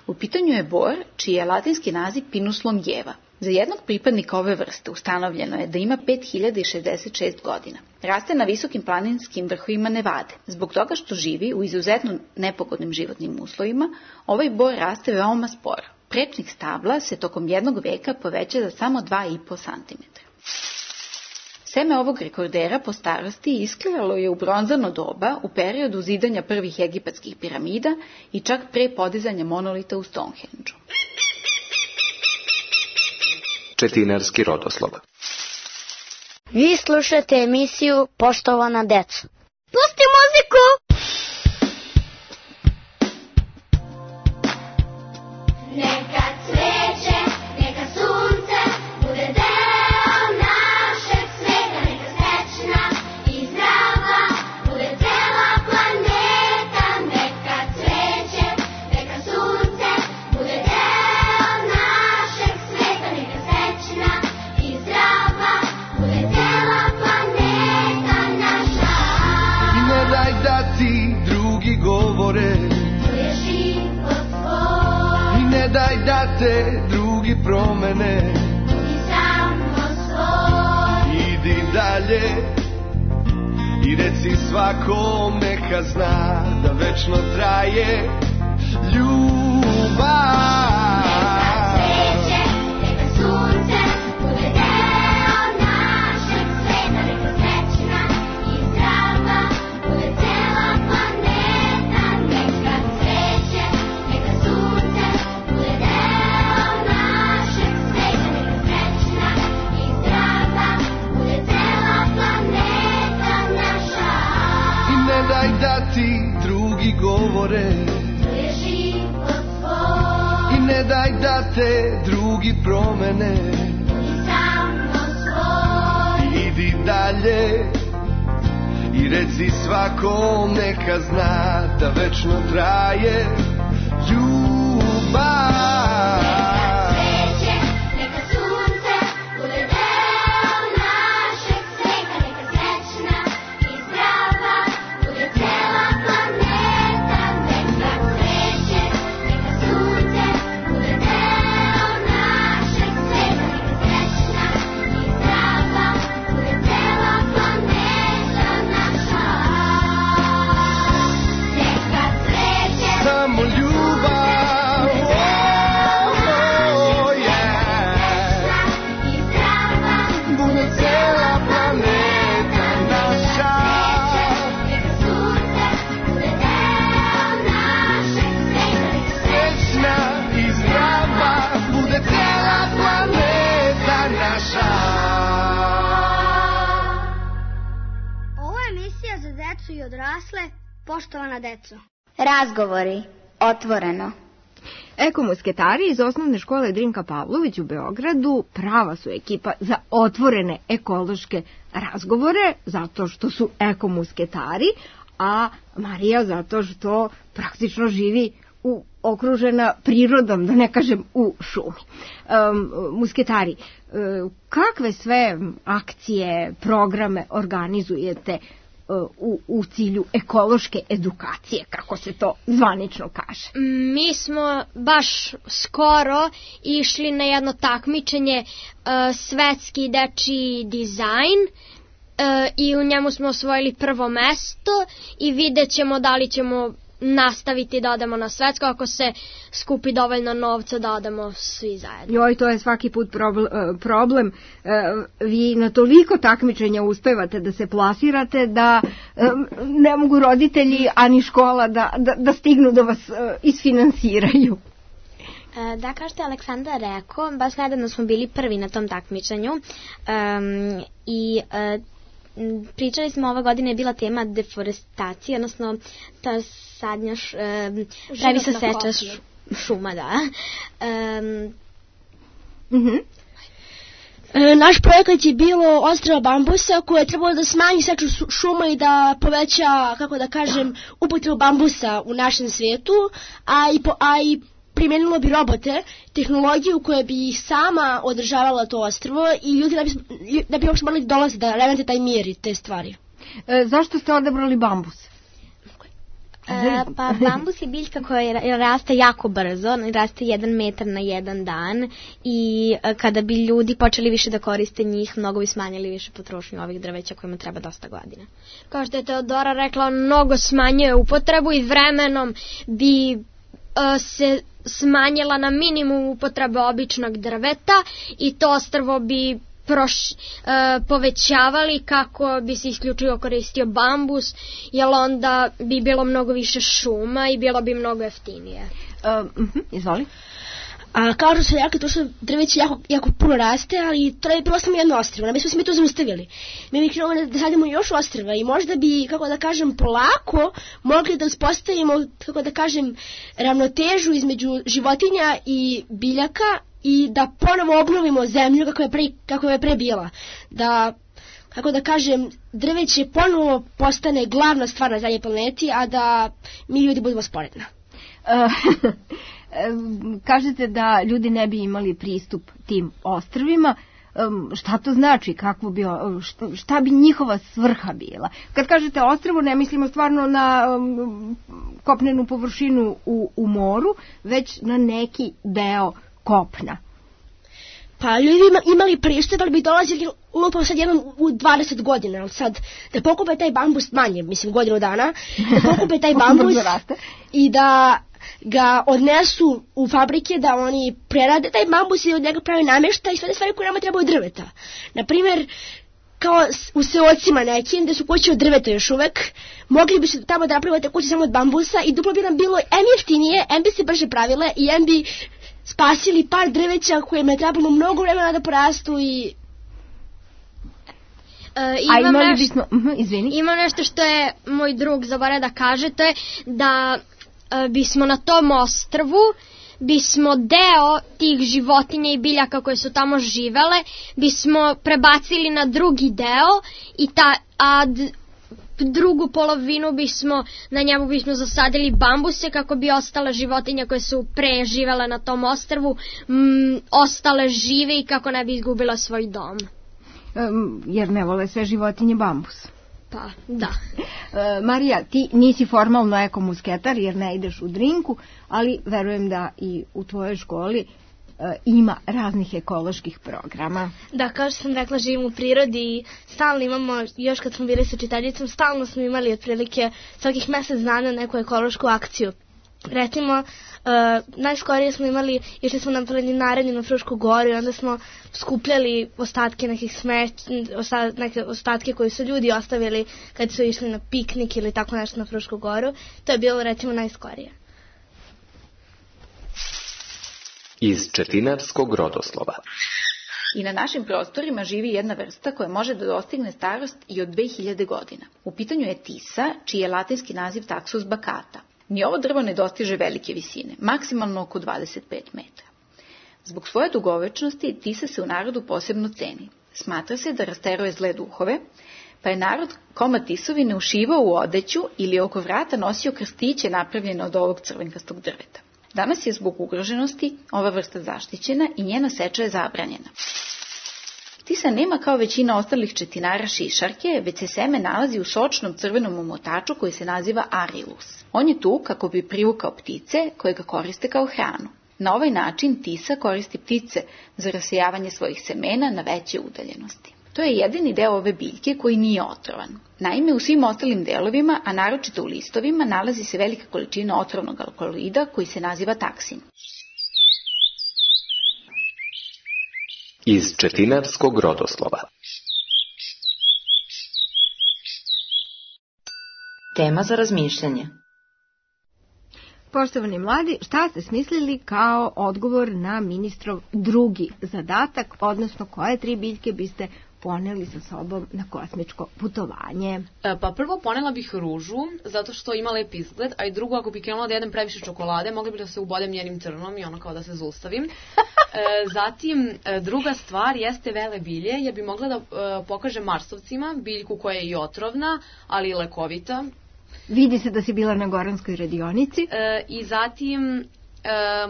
U pitanju je bor, čiji je latinski naziv Pinus longeva. Za jednog pripadnika ove vrste ustanovljeno je da ima pet hiljada šezdeset šest godina. Raste na visokim planinskim vrhovima Nevade. Zbog toga što živi u izuzetno nepogodnim životnim uslovima, ovaj bor raste veoma sporo. Prečnik stabla se tokom jednog veka poveća za samo dva i po santimetra. Seme ovog rekordera po starosti isklivalo je u bronzano doba u periodu zidanja prvih egipatskih piramida i čak pre podizanja monolita u Stonehenge-u. Četinarski rodoslov. Vi slušate emisiju Poštovana deco. Pusti muziku! Neka cveće, neka sunce, bude deo našeg sveta, neka srećna i zdrava, bude cela planeta. Neka cveće, neka sunce, bude deo našeg sveta, neka srećna i zdrava, bude cela planeta naša. I ne daj da ti drugi govore, to je život tvoj. I ne daj da te drugi promene, I samo svoj. Idi dalje i reci svakom neka zna da večno traje ljubav. Ti drugi govore, to je život tvoj. I ne daj da te drugi promene, I samo svoj. Idi dalje i reci svakom neka zna da večno traje ljubav. Neka cveće, neka sunce, poštovana deco. Razgovori, otvoreno. Ekomusketari iz osnovne škole Drinka Pavlović u Beogradu prava su ekipa za otvorene ekološke razgovore, zato što su ekomusketari, a Marija zato što praktično živi u okružena prirodom, da ne kažem u šumi. Um, musketari, um, kakve sve akcije, programe organizujete U, u cilju ekološke edukacije, kako se to zvanično kaže? Mi smo baš skoro išli na jedno takmičenje uh, svetski dečiji dizajn uh, i u njemu smo osvojili prvo mesto i vidjet ćemo da li ćemo nastaviti da odemo na svetsko ako se skupi dovoljno novca da odemo svi zajedno. Joj, to je svaki put problem. Vi na toliko takmičenja uspevate da se plasirate da ne mogu roditelji ani škola da, da, da stignu da vas isfinansiraju. Da, kao što je Aleksandar rekao, baš nedavno smo bili prvi na tom takmičenju um, i uh, pričali smo, ova godina je bila tema deforestacije, odnosno ta sadnja š, um, pravi se seča š, šuma, da. Um, mm-hmm. e, naš projekat je bilo odstrel bambusa koje je trebalo da smanji seču šuma i da poveća, kako da kažem, upotrebu bambusa u našem svijetu, a i, po, a i primjenilo bi robote, tehnologiju koja bi sama održavala to ostrvo i ljudi da bi, da bi uopšte morali dolaziti da remete taj mir i te stvari. E, zašto ste odabrali bambus? E, pa bambus je biljka koja raste jako brzo, raste jedan metar na jedan dan i kada bi ljudi počeli više da koriste njih, mnogo bi smanjili više potrošnju ovih drveća kojima treba dosta godina. Kao što je Teodora rekla, mnogo smanjuje upotrebu i vremenom bi uh, se smanjila na minimum upotrebe običnog drveta i to ostrvo bi proš, e, povećavali kako bi se isključivo koristio bambus, jer onda bi bilo mnogo više šuma i bilo bi mnogo jeftinije. Uh, uh-huh, izvoli. A kao što se rekli, to što drveće jako, jako puno raste, ali to je bilo samo jedno ostrvo, ne bismo se mi to zaustavili. Mi bi krenuli da sadimo još ostrva i možda bi, kako da kažem, polako mogli da uspostavimo, kako da kažem, ravnotežu između životinja i biljaka i da ponovo obnovimo zemlju kako je pre, kako je pre bila. Da, kako da kažem, drveće ponovo postane glavna stvar na zadnjoj planeti, a da mi ljudi budemo sporedna. Uh, kažete da ljudi ne bi imali pristup tim ostrvima. Um, šta to znači? Kakvo bi, šta, šta bi njihova svrha bila? Kad kažete ostrvo, ne mislimo stvarno na um, kopnenu površinu u, u moru, već na neki deo kopna. Pa ljudi imali pristup, ali bi dolazili upravo sad jednom u dvadeset godina, ali sad da pokupe taj bambus manje, mislim godinu dana, da pokupe taj bambus i da ga odnesu u fabrike, da oni prerade taj bambus i od njega pravi namještaj i sve te stvari koje nama trebaju drveta. Naprimjer, kao u seocima nekim, gde su kuće od drveta još uvek, mogli bi se tamo da napravite kuće samo od bambusa i duplo bi nam bilo em jeftinije, em bi se brže pravile i em bi spasili par drveća kojima je trebalo mnogo vremena da porastu i... Uh, imam, nešto, bismo, uh, izvini. imam nešto što je moj drug zaboravio da kaže, to je da uh, bismo na tom ostrvu bismo deo tih životinja i biljaka koje su tamo živele bismo prebacili na drugi deo i ta, a d, drugu polovinu bismo, na njemu bismo zasadili bambuse kako bi ostale životinje koje su pre živele na tom ostrvu m, ostale žive i kako ne bi izgubila svoj dom. Um, jer ne vole sve životinje bambus. Pa, da. E, Marija, ti nisi formalno ekomusketar jer ne ideš u Drinku, ali verujem da i u tvojoj školi e, ima raznih ekoloških programa. Da, kao što sam rekla, živim u prirodi i stalno imamo, još kad smo bili sa čitaljicom, stalno smo imali otprilike svakih mjesec dana neku ekološku akciju. Recimo, uh, najskorije smo imali, išli smo na planinarenje na Frušku goru i onda smo skupljali ostatke nekih smeć, osta, neke ostatke koje su ljudi ostavili kad su išli na piknik ili tako nešto na Frušku goru. To je bilo recimo najskorije. Iz Četinarskog rodoslova. I na našim prostorima živi jedna vrsta koja može da dostigne starost i od dve hiljade godina. U pitanju je tisa, čiji je latinski naziv Taxus baccata. Ni ovo drvo ne dostiže velike visine, maksimalno oko dvadeset pet metra. Zbog svoje dugovečnosti tisa se u narodu posebno ceni. Smatra se da rasteruje zle duhove, pa je narod komad tisovine ušivao u odeću ili oko vrata nosio krstiće napravljene od ovog crvenkastog drveta. Danas je zbog ugroženosti ova vrsta zaštićena i njena seča je zabranjena. Tisa nema kao većina ostalih četinara šišarke, već se seme nalazi u sočnom crvenom omotaču koji se naziva arilus. On je tu kako bi privukao ptice koje ga koriste kao hranu. Na ovaj način tisa koristi ptice za rasejavanje svojih semena na veće udaljenosti. To je jedini deo ove biljke koji nije otrovan. Naime, u svim ostalim delovima, a naročito u listovima, nalazi se velika količina otrovnog alkaloida koji se naziva taksin. Iz četinarskog rodoslova. Tema za razmišljanje. Poštovani mladi, šta ste smislili kao odgovor na ministrov drugi zadatak, odnosno koje tri biljke biste poneli sa sobom na kosmičko putovanje? E, pa prvo ponela bih ružu, zato što ima lep izgled, a i drugo, ako bi krenula da jedem previše čokolade, mogli bi da se ubodem njenim trnom i ono kao da se zaustavim. E, zatim, e, druga stvar jeste vele bilje, jer bi mogla da e, pokažem marsovcima biljku koja je i otrovna, ali i lekovita. Vidi se da si bila na Goranskoj radionici. E, I zatim, e,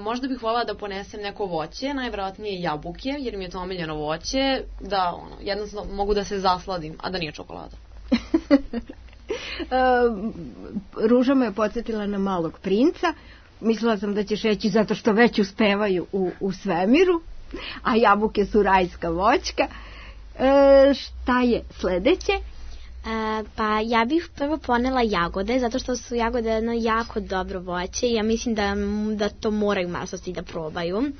možda bih voljela da ponesem neko voće, najvjerojatnije jabuke, jer mi je to omiljeno voće, da ono, jednostavno mogu da se zasladim, a da nije čokolada. e, Ruža me je podsjetila na Malog princa. Mislila sam da ćeš reći zato što već uspevaju u, u svemiru, a jabuke su rajska voćka. E, šta je sledeće? E, pa ja bih prvo ponela jagode, zato što su jagode jedno jako dobro voće i ja mislim da, da to moraju marsovci da probaju. Um,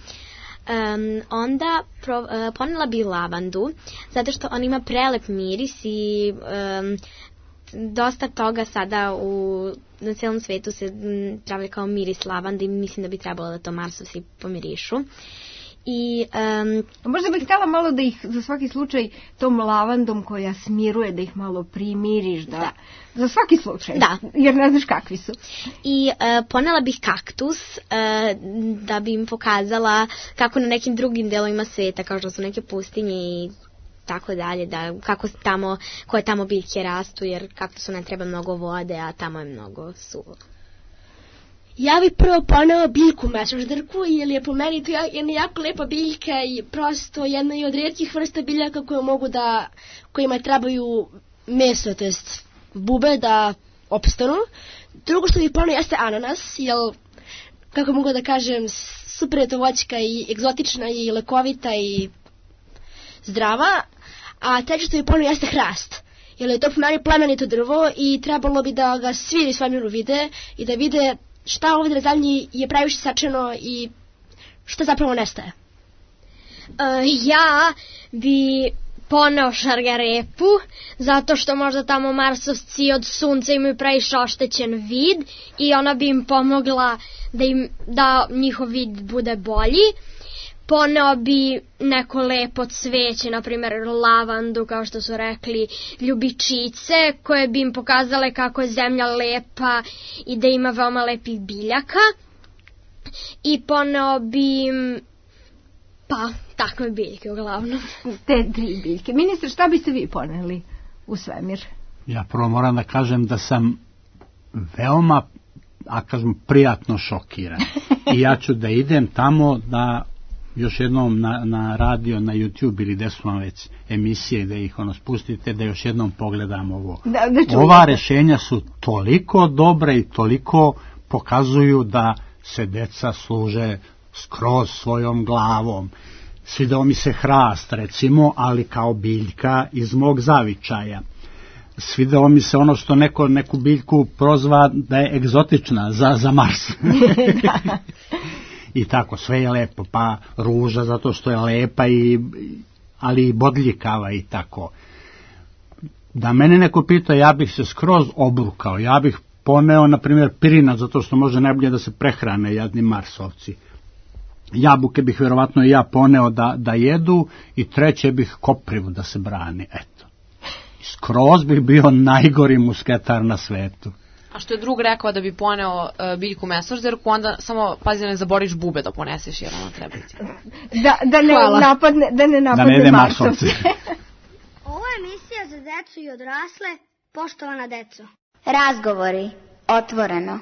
onda pro, uh, ponela bi lavandu, zato što on ima prelep miris i um, dosta toga sada u, na celom svetu se travi kao miris lavande i mislim da bi trebalo da to marsovci pomirišu. I, um, možda bih htjela malo da ih za svaki slučaj tom lavandom koja smiruje, da ih malo primiriš, da, da. Za svaki slučaj, da. Jer ne znaš kakvi su. I uh, ponela bih kaktus uh, da bi im pokazala kako na nekim drugim delovima sveta, kao što su neke pustinje i tako dalje, da kako tamo, koje tamo biljke rastu, jer kaktusu ne treba mnogo vode, a tamo je mnogo suvo. Ja bih prvo ponela biljku mečoždarku, jer je po meni to jedna jako lepa biljka i prosto jedna je od rijetkih vrsta biljaka koje mogu da, kojima trebaju meso, to jest bube da opstanu. Drugo što bih ponela jeste ananas, jer, kako mogu da kažem, super je to voćka i egzotična i lekovita i zdrava. A treće što bih ponela jeste hrast, jer je to po meni plemenito drvo i trebalo bi da ga svi u svemiru vide i da vide šta ovdje na zemlji je previše sačeno i šta zapravo nestaje. Uh, ja bi poneo šargarepu, zato što možda tamo marsovci od sunca imaju previše oštećen vid i ona bi im pomogla da, im, da njihov vid bude bolji. Poneo bi neko lepo cveće, na primjer lavandu, kao što su rekli, ljubičice, koje bi im pokazale kako je zemlja lepa i da ima veoma lepih biljaka. I poneo bi im, pa, takve biljke uglavnom. Te tri biljke. Ministre, šta biste vi poneli u svemir? Ja prvo moram da kažem da sam veoma, a kažem, prijatno šokiran. I ja ću da idem tamo da još jednom na, na radio, na YouTube ili gde su vam već emisije da ih ono spustite, da još jednom pogledam ovo. Da, da Ova rešenja su toliko dobra i toliko pokazuju da se deca služe skroz svojom glavom. Svidao mi se hrast, recimo, ali kao biljka iz mog zavičaja. Svidao mi se ono što neko neku biljku prozva da je egzotična za, za Mars. Da. I tako, sve je lepo, pa ruža zato što je lepa, i, ali i bodljikava i tako. Da mene neko pita, ja bih se skroz obrukao, ja bih poneo, na primjer, pirinac, zato što može najbolje da se prehrane jadni marsovci. jabuke bih vjerovatno i ja poneo da, da jedu i treće bih koprivu da se brani, eto. Skroz bih bio najgori musketar na svetu. A što je drug rekao da bi poneo uh, biljku mesožderku, onda samo pazi da ne zaboriš bube da poneseš jer ona treba ti. Da, da ne Hvala. napadne, da ne napadne da ne marsovce. Ovo je emisija za decu i odrasle, poštovana deco. Razgovori. Otvoreno.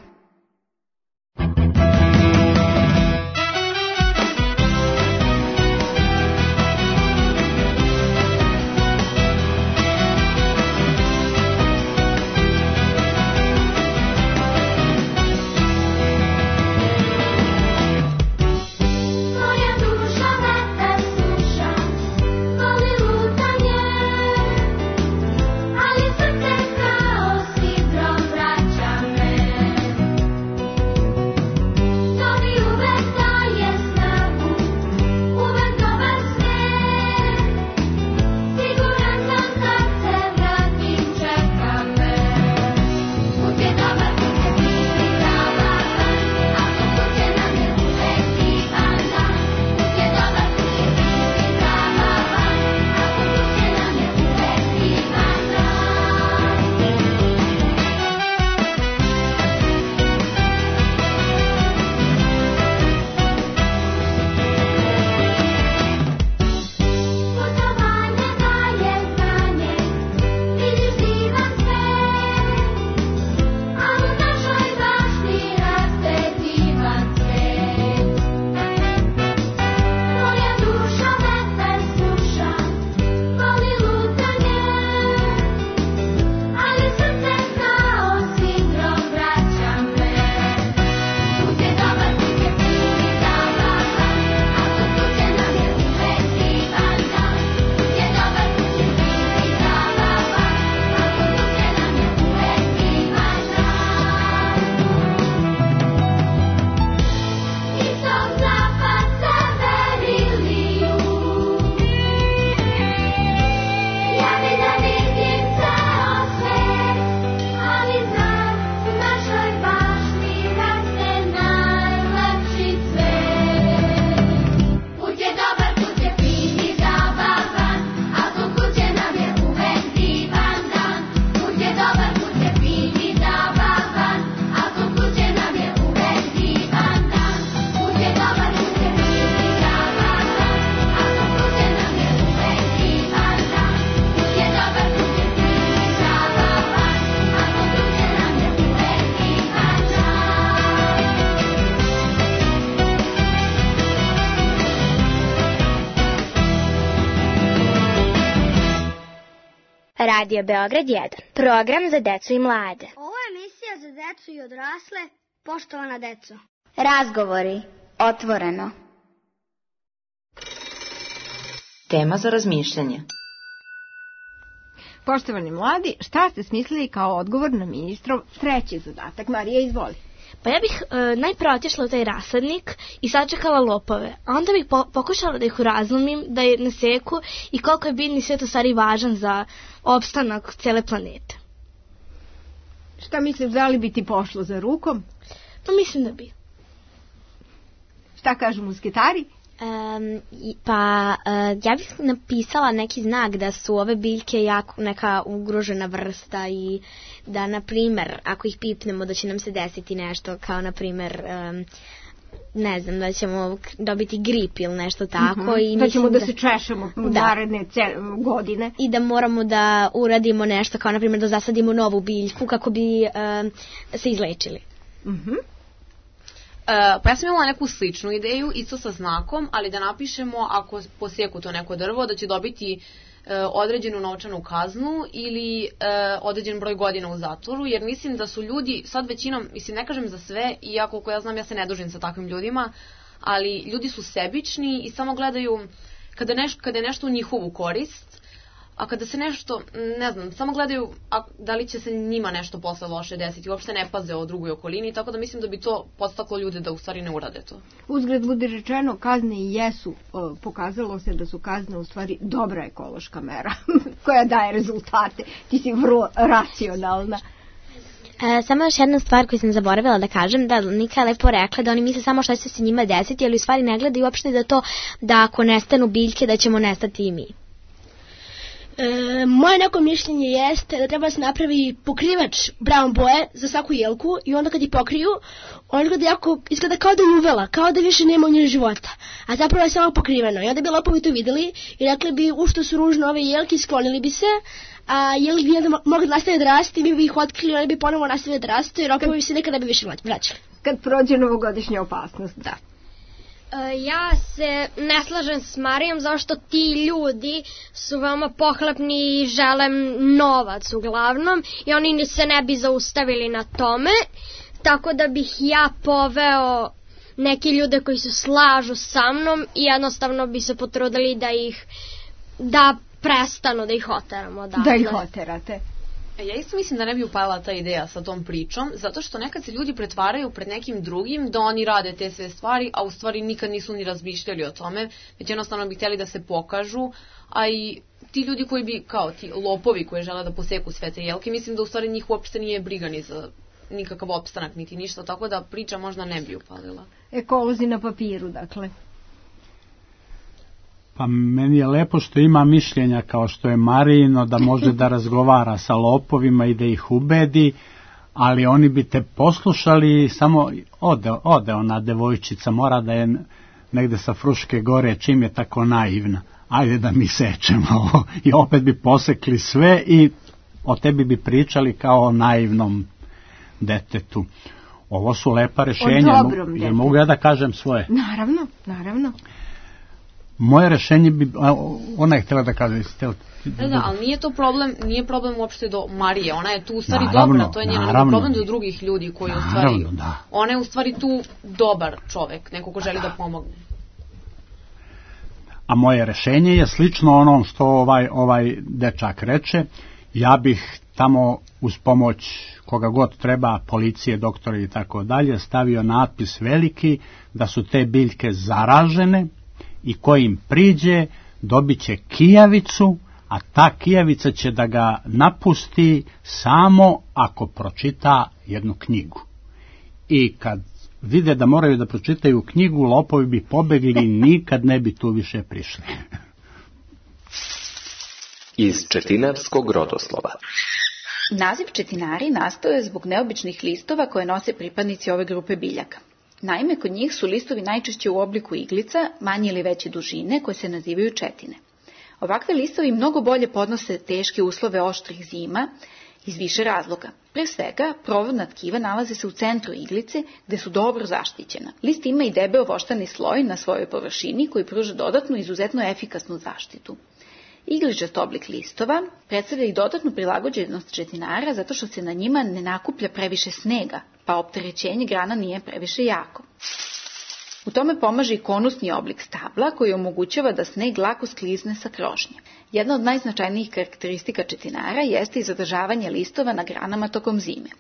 Radio Beograd jedan. Program za decu i mlade. Ovo je emisija za decu i odrasle, poštovana deco. Razgovori. Otvoreno. Tema za razmišljanje. Poštovani mladi, šta ste smislili kao odgovor na ministrov treći zadatak? Marija, izvoli. Pa ja bih e, najprve otišla u taj rasadnik i sačekala lopove, a onda bih po, pokušala da ih urazumim, da je naseku i koliko je biljni svet u stvari važan za opstanak cele planete. Šta misliš, da li bi ti pošlo za rukom? Pa mislim da bi. Šta kažu musketari? Um, pa uh, ja bih napisala neki znak da su ove biljke jako neka ugrožena vrsta i da, na primer, ako ih pipnemo da će nam se desiti nešto kao, na primer, um, ne znam, da ćemo dobiti grip ili nešto tako. Uh-huh. I da ćemo da, da se češemo u da. naredne godine. I da moramo da uradimo nešto kao, na primer, da zasadimo novu biljku kako bi um, se izlečili. Mhm. Uh, pa ja sam imala neku sličnu ideju, isto sa znakom, ali da napišemo ako poseku to neko drvo, da će dobiti uh, određenu novčanu kaznu ili uh, određen broj godina u zatvoru, jer mislim da su ljudi, sad većinom, mislim ne kažem za sve, iako koliko ja znam ja se ne družim sa takvim ljudima, ali ljudi su sebični i samo gledaju kada, neš, kada je nešto u njihovu korist, a kada se nešto, ne znam, samo gledaju a, da li će se njima nešto posle loše desiti, uopšte ne paze o drugoj okolini, tako da mislim da bi to podstaklo ljude da u stvari ne urade to. Uzgled bude rečeno, kazne i jesu, o, pokazalo se da su kazne u stvari dobra ekološka mera koja daje rezultate. Ti si vrlo racionalna. E, samo još jedna stvar koju sam zaboravila da kažem, da Nika je lepo rekla da oni misle samo šta će se njima desiti, ali u stvari ne gledaju uopšte da to da ako nestanu biljke da ćemo nestati i mi. E, moje neko mišljenje jeste da treba se napravi pokrivač brown boje za svaku jelku i onda kad je pokriju, on izgleda, jako, izgleda kao da je uvela, kao da više nema u njoj života, a zapravo je samo pokriveno. I onda bi lopovi to videli i rekli bi u što su ružne ove jelke, sklonili bi se, a jelke bi onda mogli nastaviti da rasti i mi bi ih otkrili, oni bi ponovo nastavili da rastu i lopovi bi se nekada bi više vraćali. Kad prođe novogodišnja opasnost, da. Ja se ne slažem s Marijom zašto ti ljudi su veoma pohlepni i žele novac uglavnom i oni se ne bi zaustavili na tome, tako da bih ja poveo neki ljude koji se slažu sa mnom i jednostavno bi se potrudili da ih da prestanu da ih oteramo. Dakle. Da ih oterate. Ja isto mislim da ne bi upala ta ideja sa tom pričom, zato što nekad se ljudi pretvaraju pred nekim drugim da oni rade te sve stvari, a u stvari nikad nisu ni razmišljali o tome, već jednostavno bi htjeli da se pokažu, a i ti ljudi koji bi, kao ti lopovi koji žele da poseku sve te jelke, mislim da u stvari njih uopšte nije briga ni za nikakav opstanak, niti ništa, tako da priča možda ne bi upalila. Ekolozi na papiru, dakle. Pa meni je lepo što ima mišljenja kao što je Marijino, da može da razgovara sa lopovima i da ih ubedi, ali oni bi te poslušali, samo ode, ode ona devojčica, mora da je negde sa Fruške gore, čim je tako naivna. Ajde da mi sečemo ovo. I opet bi posekli sve i o tebi bi pričali kao o naivnom detetu. Ovo su lepa rešenja. Jer mogu ja da kažem svoje? Naravno, naravno. Moje rešenje bi, ona je htjela da kaže, htjela... Da, da, ali nije to problem, nije problem uopšte do Marije, ona je tu u stvari naravno, dobra, to je njena problem do drugih ljudi koji naravno, u stvari, da. Ona je u stvari tu dobar čovek, neko ko želi da, da pomogne. A moje rešenje je slično onom što ovaj, ovaj dečak reče, ja bih tamo uz pomoć koga god treba, policije, doktori i tako dalje, stavio natpis veliki da su te biljke zaražene, i ko im priđe dobit će kijavicu, a ta kijavica će da ga napusti samo ako pročita jednu knjigu. I kad vide da moraju da pročitaju knjigu, lopovi bi pobegli i nikad ne bi tu više prišli. Iz četinarskog rodoslova. Naziv četinari nastao je zbog neobičnih listova koje nose pripadnici ove grupe biljaka. Naime, kod njih su listovi najčešće u obliku iglica, manje ili veće dužine, koje se nazivaju četine. Ovakve listovi mnogo bolje podnose teške uslove oštrih zima iz više razloga. Pre svega, provodna tkiva nalaze se u centru iglice, gde su dobro zaštićena. List ima i debeo voštani sloj na svojoj površini koji pruža dodatnu izuzetno efikasnu zaštitu. Igličast oblik listova predstavlja i dodatnu prilagođenost četinara zato što se na njima ne nakuplja previše snega, pa opterećenje grana nije previše jako. U tome pomaže i konusni oblik stabla koji omogućava da sneg lako sklizne sa krošnje. Jedna od najznačajnijih karakteristika četinara jeste i zadržavanje listova na granama tokom zime.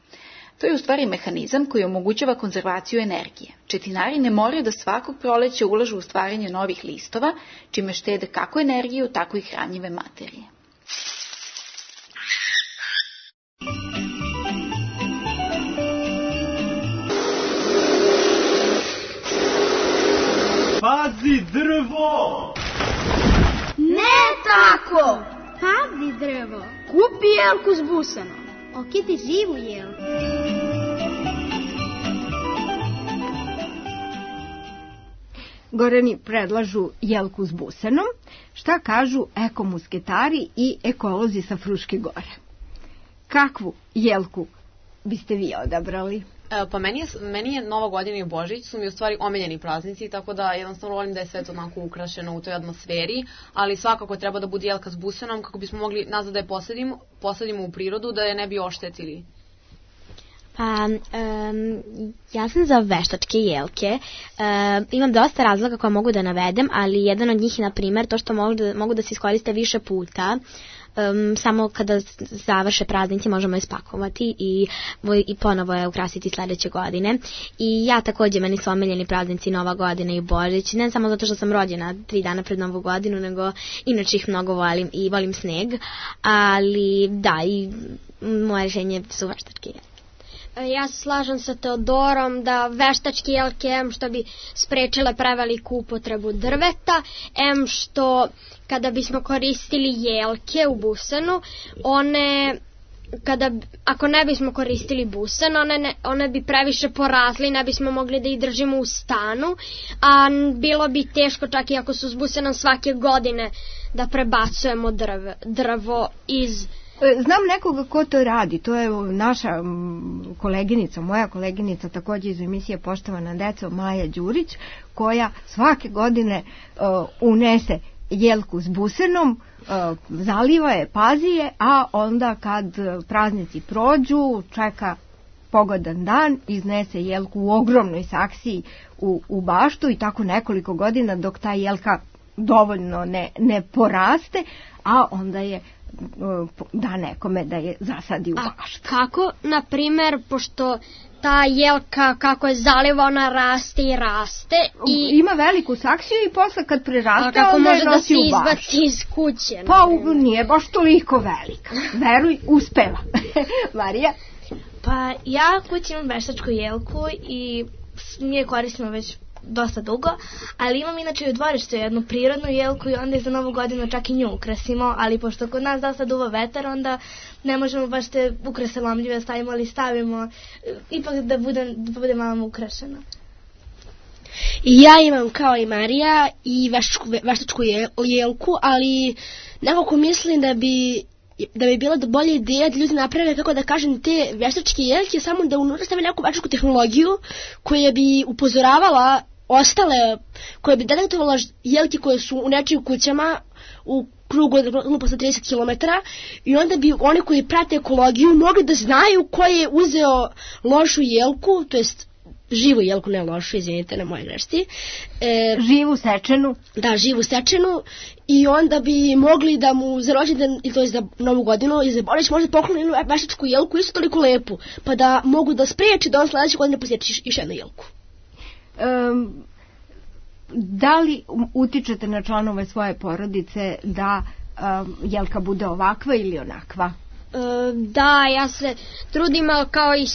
To je u stvari mehanizam koji omogućava konzervaciju energije. Četinari ne moraju da svakog proleća ulažu u stvaranje novih listova, čime štede kako energiju, tako i hranjive materije. Pazi drvo! Ne tako! Pazi drvo! Kupi jelku s busanom. Okiti živu jelku. Gorani predlažu jelku s busanom. Šta kažu ekomusketari i ekolozi sa Fruške gore? Kakvu jelku biste vi odabrali? E, pa meni je, meni je Nova godina i Božić su mi u stvari omiljeni praznici, tako da jednostavno volim da je sve to onako ukrašeno u toj atmosferi, ali svakako treba da bude jelka s busanom kako bismo mogli nazad da je posadimo, posadimo u prirodu, da je ne bi oštetili. Pa, um, ja sam za veštačke jelke. Uh, imam dosta razloga koje mogu da navedem, ali jedan od njih je, na primjer, to što mogu da, mogu da se iskoriste više puta. Um, samo kada završe praznici možemo je spakovati i, i ponovo je ukrasiti sledeće godine. I ja također, meni su omiljeni praznici Nova godina i Božić, ne samo zato što sam rođena tri dana pred Novu godinu, nego inače ih mnogo volim i volim sneg, ali da, i moje rešenje su veštačke jelke. Ja se slažem sa Teodorom da veštačke jelke, em što bi sprečile preveliku upotrebu drveta, em što kada bismo koristili jelke u busenu, one... Kada, ako ne bismo koristili busen, one, ne, one bi previše porazli, ne bismo mogli da ih držimo u stanu, a bilo bi teško čak i ako su s busenom svake godine da prebacujemo drv, drvo iz... Znam nekoga ko to radi, to je naša koleginica, moja koleginica takođe iz emisije Poštovana deco, Maja Đurić, koja svake godine uh, unese jelku s busenom, uh, zaliva je, pazi je, a onda kad praznici prođu, čeka pogodan dan, iznese jelku u ogromnoj saksiji u, u baštu i tako nekoliko godina dok ta jelka dovoljno ne, ne poraste, a onda je da nekome da je zasadi u baštu. A kako, na primer, pošto ta jelka kako je zaliva, ona raste i raste i... Ima veliku saksiju i posle kad preraste, a kako onda može je nosi da u se baštu. izbaci iz kuće? Pa u, nije baš toliko velika. Veruj, uspeva. Marija? Pa ja kući imam veštačku jelku i mi je koristimo već dosta dugo, ali imam inače i u dvorištu jednu prirodnu jelku i onda je za novu godinu čak i nju ukrasimo, ali pošto kod nas dosta duva vetar, onda ne možemo baš te ukrase lomljive stavimo, ali stavimo ipak da bude, da bude malo ukrašeno. I ja imam kao i Marija i veštačku, veštačku jelku, ali nekako mislim da bi da bi bila bolja ideja da ljudi naprave, kako da kažem, te veštačke jelke, samo da unutra stave neku veštačku tehnologiju koja bi upozoravala ostale, koja bi detektovala jelke koje su u nečijim kućama u krugu od posle trideset kilometara i onda bi oni koji prate ekologiju mogli da znaju ko je uzeo lošu jelku, to jest živu jelku, ne lošu, izvinite na moje grešci. E, živu sečenu. Da, živu sečenu i onda bi mogli da mu za rođendan, ili to je za novu godinu, ili za Božić možda pokloni jednu veštačku jelku isto toliko lepu, pa da mogu da spreči da on sledeće godine posjeti još jednu jelku. Um, da li utičete na članove svoje porodice da um, jelka bude ovakva ili onakva? Da, ja se trudim kao i,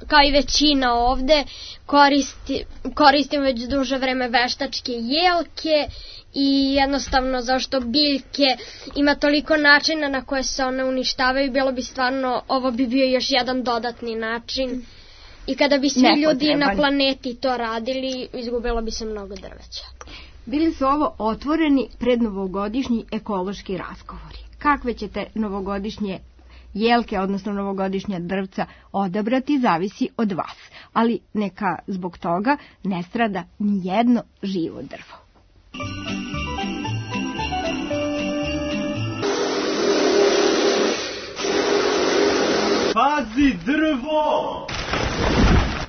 kao i većina ovde, koristi, koristim već duže vreme veštačke jelke i jednostavno zašto biljke ima toliko načina na koje se one uništavaju, bilo bi stvarno, ovo bi bio još jedan dodatni način i kada bi svi Nepotreban. ljudi na planeti to radili, izgubilo bi se mnogo drveća. Bili su ovo otvoreni prednovogodišnji ekološki razgovori. Kakve ćete novogodišnje jelke, odnosno novogodišnja drvca odabrati, zavisi od vas, ali neka zbog toga ne strada nijedno živo drvo. Pazi drvo!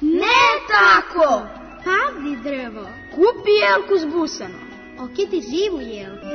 Ne tako! Pazi drvo! Kupi jelku s busanom. Okiti živu jelku.